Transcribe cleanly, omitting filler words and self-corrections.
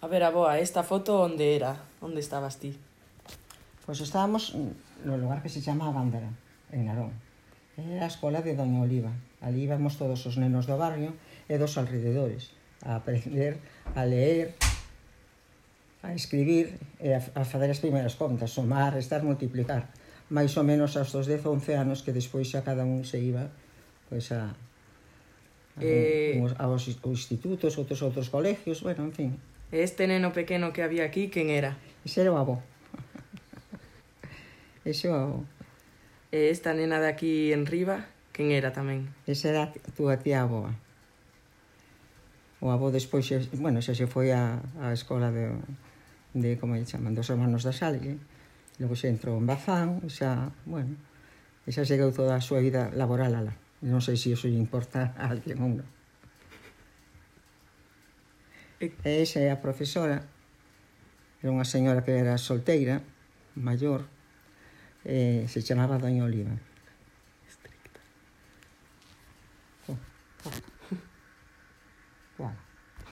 A ver, aboa, esta foto onde era? Onde estabas ti? Pois estábamos no lugar que se chama Gándara, en Narón. Era a escola de Doña Oliva. Ali íbamos todos os nenos do barrio e dos alrededores a aprender a leer, a escribir e a fazer as primeiras contas, somar, restar, multiplicar. Mais ou menos aos 10 ou 11 anos que despois xa cada un se iba pois aos institutos, outros colegios, bueno, en fin. Este neno pequeno que había aquí, quen era? Ese era o avó. Ese o avó. E esta nena de aquí en riba, quen era tamén? Esa era a túa tía aboa. O avó despois, bueno, xa se foi á escola de como lle chaman, dos hermanos da Salle. Logo se entrou en Bazán, xa, bueno, xa chegou toda a súa vida laboral alá. Non sei se iso lle importa a alguén ou non. E esa é a profesora, era unha señora que era solteira, maior, se chamaba Doña Oliva. Estricta.